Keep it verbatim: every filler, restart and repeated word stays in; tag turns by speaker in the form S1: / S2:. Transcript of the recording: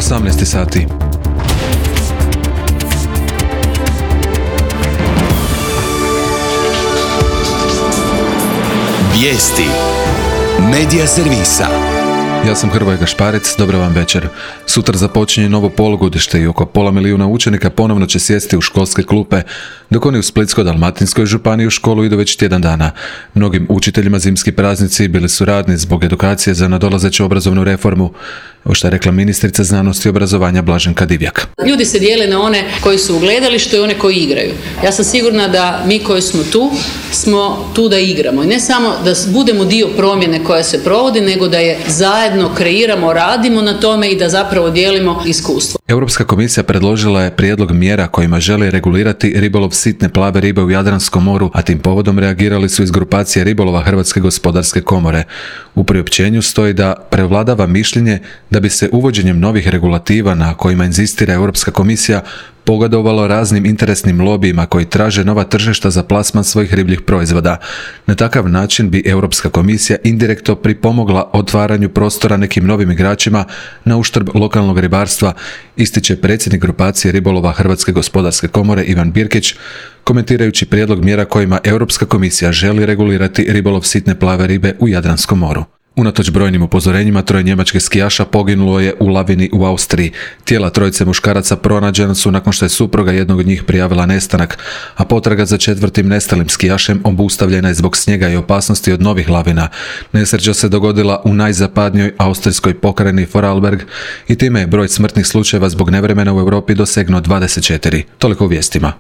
S1: osamnaest sati.
S2: Vijesti Medija servisa.
S1: Ja sam Hrvoje Gašparec, dobro vam večer. Sutra započinje novo polugodište i oko pola milijuna učenika ponovno će sjesti u školske klupe, dok oni u Splitsko-dalmatinskoj županiji u školu idu već tjedan dana. Mnogim učiteljima zimski praznici bili su radni zbog edukacije za nadolazeću obrazovnu reformu, o što je rekla ministrica znanosti i obrazovanja Blaženka Divjak.
S3: Ljudi se dijele na one koji su u gledalištu i one koji igraju. Ja sam sigurna da mi koji smo tu, smo tu da igramo. I ne samo da budemo dio promjene koja se provodi, nego da je zajedno kreiramo, radimo na tome i da zapravo dijelimo iskustvo.
S1: Europska komisija predložila je prijedlog mjera kojima želi regulirati ribolov sitne plave ribe u Jadranskom moru, a tim povodom reagirali su iz grupacije ribolova Hrvatske gospodarske komore. U priopćenju stoji da prevladava mišljenje da bi se uvođenjem novih regulativa na kojima inzistira Europska komisija pogodovalo raznim interesnim lobijima koji traže nova tržišta za plasman svojih ribljih proizvoda. Na takav način bi Europska komisija indirektno pripomogla otvaranju prostora nekim novim igračima na uštrb lokalnog ribarstva, ističe predsjednik grupacije ribolova Hrvatske gospodarske komore Ivan Birkić, komentirajući prijedlog mjera kojima Europska komisija želi regulirati ribolov sitne plave ribe u Jadranskom moru. Unatoč brojnim upozorenjima, troje njemačkih skijaša poginulo je u lavini u Austriji. Tijela trojice muškaraca pronađena su nakon što je supruga jednog od njih prijavila nestanak, a potraga za četvrtim nestalim skijašem obustavljena je zbog snijega i opasnosti od novih lavina. Nesreća se dogodila u najzapadnijoj austrijskoj pokrajini Vorarlberg i time je broj smrtnih slučajeva zbog nevremena u Europi dosegnuo dvadeset četiri. Toliko u vijestima.